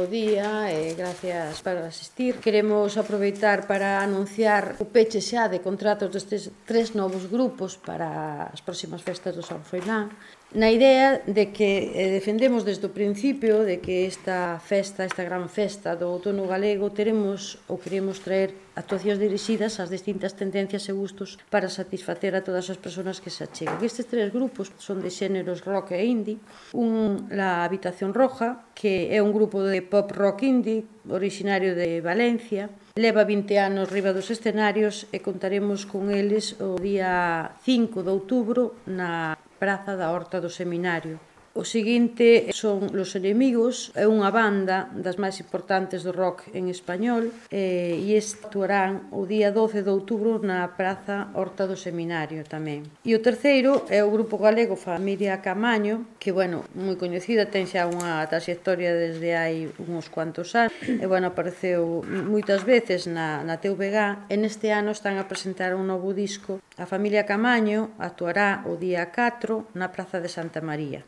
bo día e gracias por asistir. Queremos aproveitar para anunciar o peche xa de contratos destes 3 novos grupos para as próximas festas do San Froilán, na idea de que defendemos desde o principio de que esta gran festa do outono galego queremos traer actuacións dirixidas ás distintas tendencias e gustos para satisfacer a todas as persoas que se acheguen. Estes 3 grupos son de xéneros rock e indie. La Habitación Roja, que é un grupo de pop rock indie originario de Valencia, leva 20 anos riba dos escenarios e contaremos con eles o día 5 de outubro na Praza da Horta do Seminario. O seguinte son Los Enemigos, é unha banda das máis importantes do rock en español e actuarán o día 12 de outubro na Praza Horta do Seminario tamén. E o terceiro é o grupo galego Familia Camaño, que, moi coñecida, ten xa unha trayectoria desde hai uns cuantos anos e, apareceu moitas veces na TVG e neste ano están a presentar un novo disco. A Familia Camaño actuará o día 4 na Praza de Santa María.